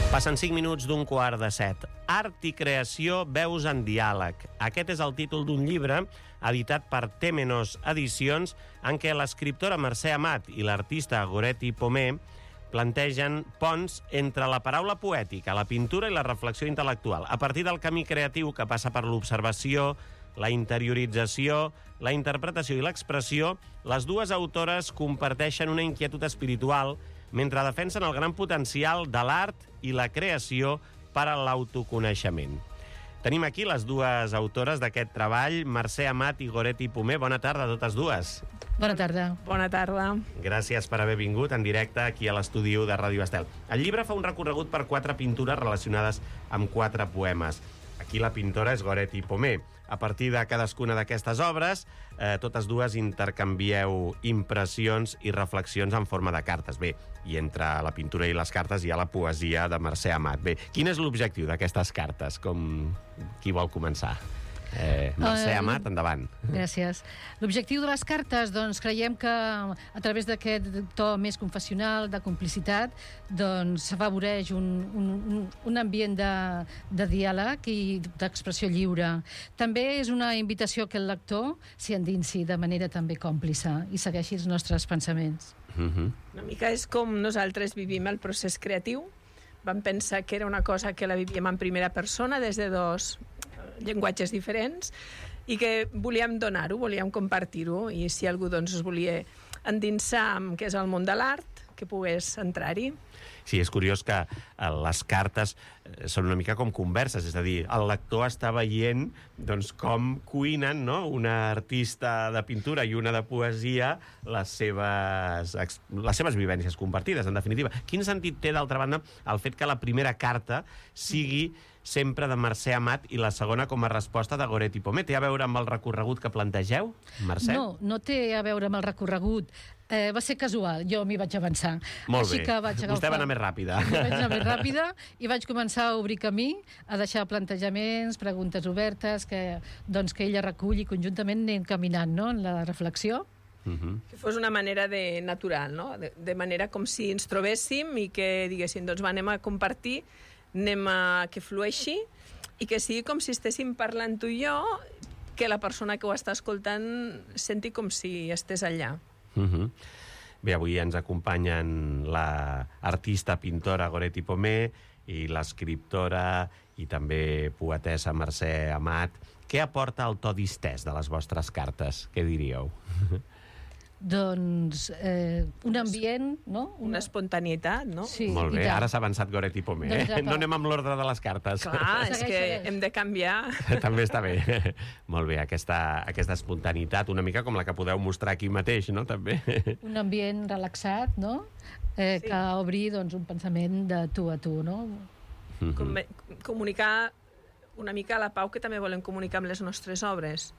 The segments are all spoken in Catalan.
Passen 5 minuts d'un quart de 7. Art i creació, veus en diàleg. Aquest és el títol d'un llibre editat per Temenos Edicions en què l'escriptora Mercè Amat i l'artista Goretti Pomé plantegen ponts entre la paraula poètica, la pintura i la reflexió intel·lectual. A partir del camí creatiu que passa per l'observació, la interiorització, la interpretació i l'expressió, les dues autores comparteixen una inquietud espiritual mentre defensen el gran potencial de l'art i la creació per a l'autoconeixement. Tenim aquí les dues autores d'aquest treball, Mercè Amat i Goretti Pomé. Bona tarda a totes dues. Bona tarda. Bona tarda. Gràcies per haver vingut en directe aquí a l'estudi de Ràdio Estel. El llibre fa un recorregut per 4 pintures relacionades amb 4 poemes. Aquí la pintora és Goretti Pomé. A partir de cadascuna d'aquestes obres, totes dues intercanvieu impressions i reflexions en forma de cartes. Bé, i entre la pintura i les cartes hi ha la poesia de Mercè Amat. Bé, quin és l'objectiu d'aquestes cartes? Qui vol començar? Mercè Amat, endavant. Gràcies. L'objectiu de les cartes, doncs, creiem que a través d'aquest to més confessional, de complicitat, doncs s'afavoreix un ambient de diàleg i d'expressió lliure. També és una invitació que el lector s'hi endinsi de manera també còmplice i segueixi els nostres pensaments. Una mica és com nosaltres vivim el procés creatiu. Vam pensar que era una cosa que la vivíem en primera persona des de dos llenguatges diferents i que volíem donar-ho, volíem compartir-ho, i si algú doncs es volia endinsar en què és el món de l'art, que pogués entrar-hi. Sí, és curiós que les cartes són una mica com converses, és a dir, el lector està veient doncs, com cuinen, no?, una artista de pintura i una de poesia les seves vivències compartides, en definitiva. Quin sentit té, d'altra banda, el fet que la primera carta sigui sempre de Mercè Amat i la segona com a resposta de Goretti Pomé? Té a veure amb el recorregut que plantegeu, Mercè? No té a veure amb el recorregut. Va ser casual, jo m'hi vaig avançar. Molt bé, que vostè va anar més ràpida. Vaig anar més ràpida i vaig començar a obrir camí, a deixar plantejaments, preguntes obertes, que ella recull i conjuntament anem caminant, no?, en la reflexió. Que fos una manera natural, no?, de manera com si ens trobéssim i que diguéssim, doncs anem a compartir, anem a que flueixi i que sigui com si estéssim parlant tu i jo, que la persona que ho està escoltant senti com si estés allà. Bé, avui ens acompanyen l'artista pintora Goretti Pomé i l'escriptora i també poetessa Mercè Amat. Què aporta el to distès de les vostres cartes? Què diríeu? Doncs un ambient, no? Una espontaneïtat, no? Sí, molt bé, ara s'ha avançat Goretti Pomé. No anem amb l'ordre de les cartes. Clar, és que hem de canviar. També està bé. Molt bé, aquesta espontaneïtat, una mica com la que podeu mostrar aquí mateix, no?, també. Un ambient relaxat, no?, que obri doncs, un pensament de tu a tu, no? Comunicar una mica la pau que també volem comunicar amb les nostres obres.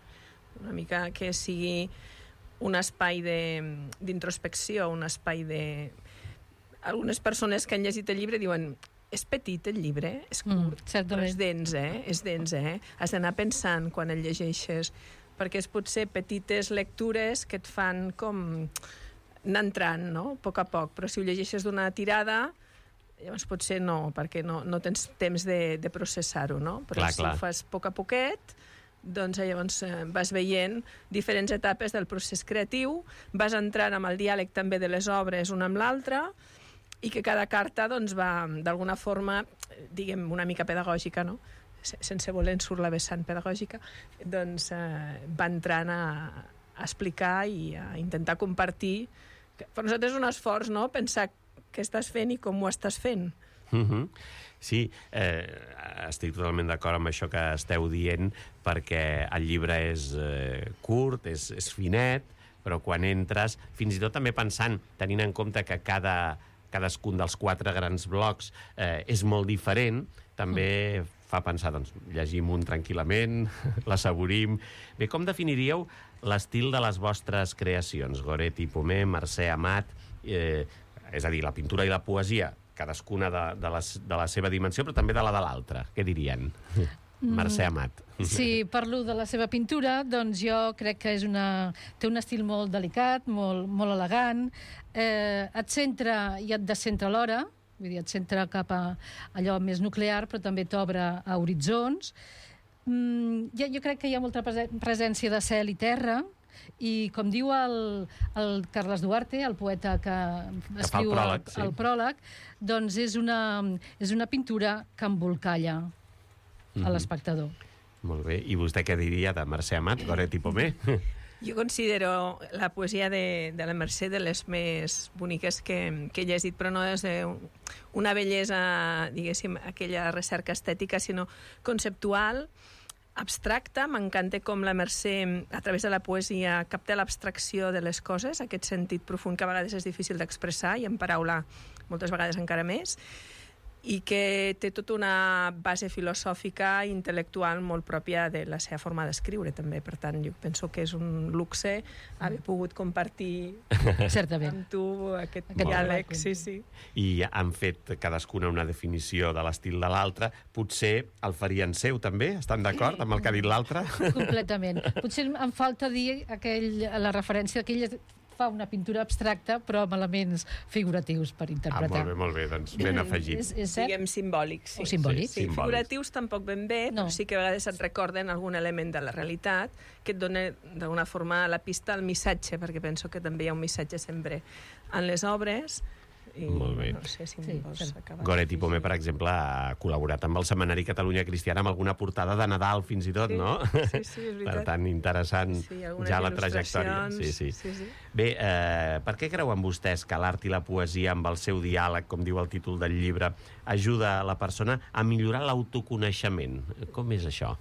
Una mica que sigui un espai d'introspecció, un espai de... Algunes persones que han llegit el llibre diuen és petit el llibre, és curt, però és dens, és dens, Has d'anar pensant quan el llegeixes, perquè és potser petites lectures que et fan com anar entrant, no?, a poc, però si ho llegeixes d'una tirada, llavors potser no, perquè no tens temps de processar-ho, no? Però si ho fas a poquet, doncs llavors vas veient diferents etapes del procés creatiu, vas entrant amb el diàleg també de les obres una amb l'altra, i que cada carta doncs, va d'alguna forma, diguem, una mica pedagògica, no?, sense voler en surt la vessant pedagògica, doncs va entrant a explicar i a intentar compartir. Per nosaltres és un esforç, no?, pensar què estàs fent i com ho estàs fent. Sí, estic totalment d'acord amb això que esteu dient, perquè el llibre és curt, és finet, però quan entres, fins i tot també pensant, tenint en compte que cadascun dels 4 grans blocs és molt diferent, també fa pensar, doncs, llegim un tranquil·lament, l'assaborim. Bé, com definiríeu l'estil de les vostres creacions? Goretti Pomé, Mercè Amat, és a dir, la pintura i la poesia, cadascuna de la seva dimensió, però també de la de l'altra. Què dirien? Mercè Amat. Si parlo de la seva pintura, doncs jo crec que té un estil molt delicat, molt elegant, et centra i et descentra alhora, vull dir, et centra cap a allò més nuclear, però també t'obre a horitzons. Jo crec que hi ha molta presència de cel i terra, i com diu el Carles Duarte, el poeta que escriu el pròleg, doncs és una pintura que embolcalla a l'espectador. Molt bé. I vostè què diria de Mercè Amat, Goret i Pomé? Jo considero la poesia de la Mercè de les més boniques que he llegit, però no és una bellesa, diguéssim, aquella recerca estètica, sinó conceptual, abstracta. M'encanta com la Mercè, a través de la poesia, capta l'abstracció de les coses, aquest sentit profund que a vegades és difícil d'expressar i en paraula moltes vegades encara més, i que té tota una base filosòfica i intel·lectual molt pròpia de la seva forma d'escriure, també. Per tant, jo penso que és un luxe haver pogut compartir amb tu aquest diàleg. Sí. I han fet cadascuna una definició de l'estil de l'altre. Potser el farien seu, també? Estan d'acord amb el que ha dit l'altre? Completament. Potser em falta dir la referència que ell fa una pintura abstracta, però amb elements figuratius per interpretar. Molt bé, doncs ben afegit. Diguem simbòlics. O simbòlics. Sí, figuratius tampoc ben bé, però sí que a vegades et recorden algun element de la realitat que et dona d'alguna forma la pista al missatge, perquè penso que també hi ha un missatge sempre en les obres. Molt bé. No sé si vols acabar. Goret i Pomé, per exemple, ha col·laborat amb el Setmanari Catalunya Cristiana amb alguna portada de Nadal, fins i tot, no? Sí, és veritat. Per tant, interessant ja la trajectòria. Sí. Bé, per què creuen vostès que l'art i la poesia, amb el seu diàleg, com diu el títol del llibre, ajuda a la persona a millorar l'autoconeixement? Com és això?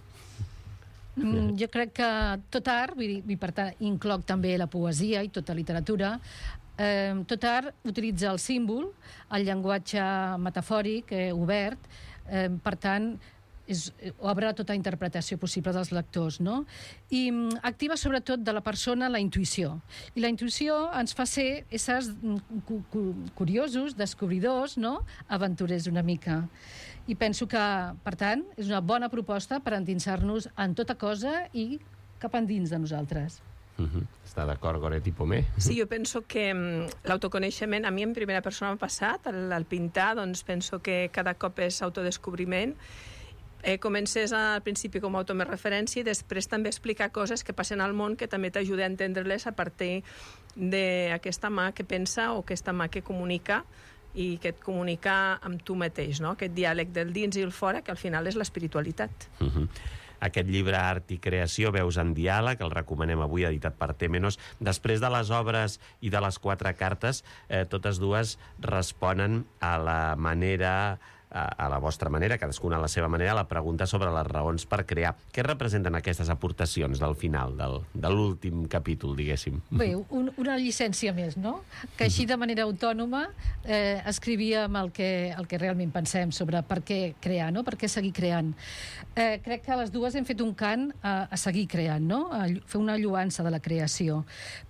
Jo crec que tot art, vull dir, per tant, incloc també la poesia i tota literatura, tot art utilitza el símbol, el llenguatge metafòric, obert, per tant, obre tota interpretació possible dels lectors, no? I activa sobretot de la persona la intuïció. I la intuïció ens fa ser éssers curiosos, descobridors, no? Aventurers una mica. I penso que, per tant, és una bona proposta per endinsar-nos en tota cosa i cap endins de nosaltres. Està d'acord, Goret i Pomé? Sí, jo penso que l'autoconeixement, a mi en primera persona m'ha passat, al pintar, doncs penso que cada cop és autodescobriment. Comences al principi com a autoreferència i després també explicar coses que passen al món que també t'ajuda a entendre-les a partir d'aquesta mà que pensa o aquesta mà que comunica i que et comunica amb tu mateix, no? Aquest diàleg del dins i el fora, que al final és l'espiritualitat. Aquest llibre Art i Creació, Veus en Diàleg, el recomanem avui, editat per Temenos. Després de les obres i de les 4 cartes, totes dues responen a la manera, a la vostra manera, cadascuna a la seva manera, la pregunta sobre les raons per crear. Què representen aquestes aportacions del final, de l'últim capítol, diguéssim? Bé, una llicència més, no? Que així de manera autònoma escrivíem el que realment pensem sobre per què crear, no? Per què seguir creant. Crec que les dues hem fet un cant a seguir creant, no? A fer una lloança de la creació,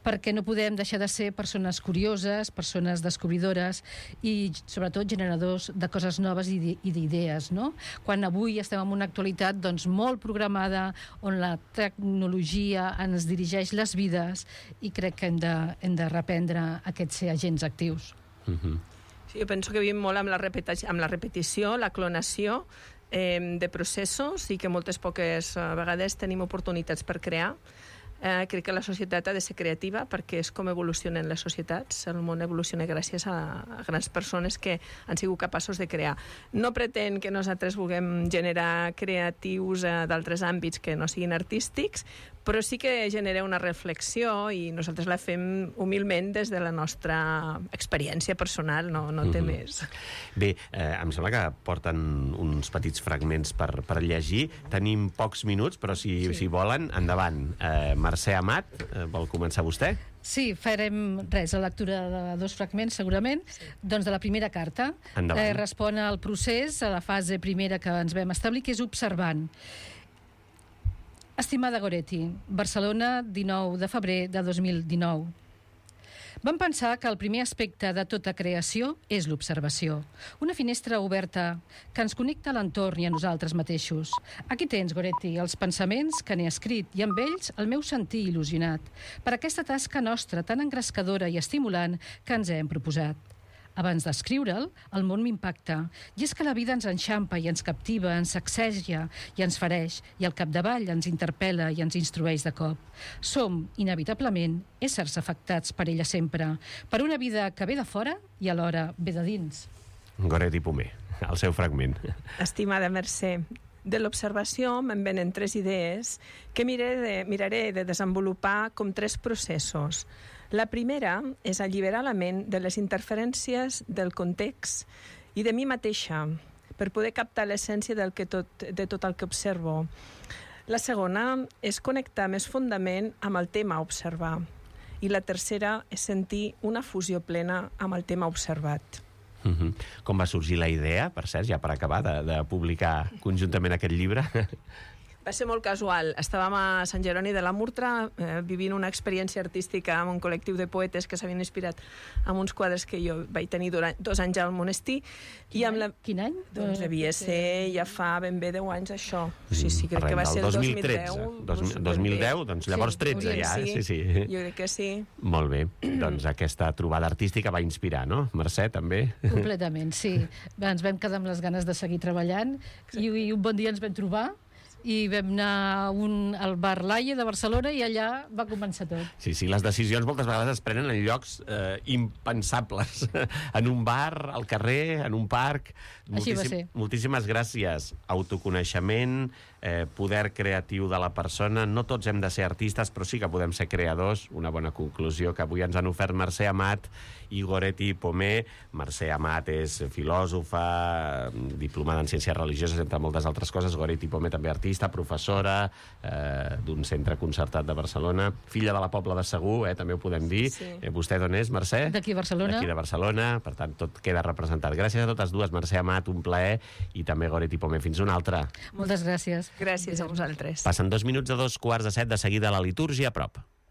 perquè no podem deixar de ser persones curioses, persones descobridores i, sobretot, generadors de coses noves i d'idees, no? Quan avui estem en una actualitat doncs, molt programada, on la tecnologia ens dirigeix les vides, i crec que hem de reprendre aquests ser agents actius. Sí, jo penso que vivim molt amb la repetició, la clonació de processos, i que moltes poques vegades tenim oportunitats per crear. Crec que la societat ha de ser creativa perquè és com evolucionen les societats. El món evoluciona gràcies a grans persones que han sigut capaços de crear. No pretén que nosaltres vulguem generar creatius d'altres àmbits que no siguin artístics, però sí que genera una reflexió i nosaltres la fem humilment des de la nostra experiència personal, no té més. Bé, em sembla que porten uns petits fragments per llegir. Tenim pocs minuts, però si volen, endavant. Mercè Amat, vol començar vostè? Sí, farem la lectura de 2 fragments, segurament. Doncs de la primera carta. Respon al procés, a la fase primera que ens vam establir, que és observant. Estimada Goretti, Barcelona, 19 de febrer de 2019. Vam pensar que el primer aspecte de tota creació és l'observació. Una finestra oberta que ens connecta a l'entorn i a nosaltres mateixos. Aquí tens, Goretti, els pensaments que n'he escrit i amb ells el meu sentir il·lusionat per aquesta tasca nostra tan engrescadora i estimulant que ens hem proposat. Abans d'escriure'l, el món m'impacta. I és que la vida ens enxampa i ens captiva, ens sacseja i ens fereix, i al capdavall ens interpel·la i ens instrueix de cop. Som, inevitablement, éssers afectats per ella sempre, per una vida que ve de fora i alhora ve de dins. Goretti Pomer, el seu fragment. Estimada Mercè, de l'observació me'n venen 3 idees que miraré de desenvolupar com 3 processos. La primera és alliberar la ment de les interferències del context i de mi mateixa per poder captar l'essència de tot el que observo. La segona és connectar més fondament amb el tema a observar. I la tercera és sentir una fusió plena amb el tema observat. Com va sorgir la idea, per cert, ja per acabar, de publicar conjuntament aquest llibre? Va ser molt casual. Estàvem a Sant Jeroni de la Murtra vivint una experiència artística amb un col·lectiu de poetes que s'havien inspirat amb uns quadres que jo vaig tenir durant 2 anys al monestir. Quin any? Doncs devia ser ja fa ben bé 10 anys, això. Sí, crec que va ser el 2010. 2010, doncs llavors 13 ja. Sí. Jo crec que sí. Molt bé. Doncs aquesta trobada artística va inspirar, no? Mercè, també? Completament, sí. Ens vam quedar amb les ganes de seguir treballant i un bon dia ens vam trobar i vam anar al bar Laie de Barcelona i allà va començar tot. Sí, les decisions moltes vegades es prenen en llocs impensables. En un bar, al carrer, en un parc. Així va ser. Moltíssimes gràcies. Autoconeixement, poder creatiu de la persona. No tots hem de ser artistes, però sí que podem ser creadors. Una bona conclusió que avui ens han ofert Mercè Amat i Goretti Pomer. Mercè Amat és filòsofa, diplomada en ciències religioses, entre moltes altres coses. Goretti Pomer també artista, professora d'un centre concertat de Barcelona, filla de la Pobla de Segur, també ho podem dir. Sí. Vostè d'on és, Mercè? D'aquí, Barcelona. D'aquí de Barcelona, per tant, tot queda representat. Gràcies a totes dues, Mercè Amat, un plaer, i també Goretti Pomer. Fins una altra. Moltes gràcies. Gràcies a vosaltres. Passen 2 minuts de 2:15 de seguida a la litúrgia a prop.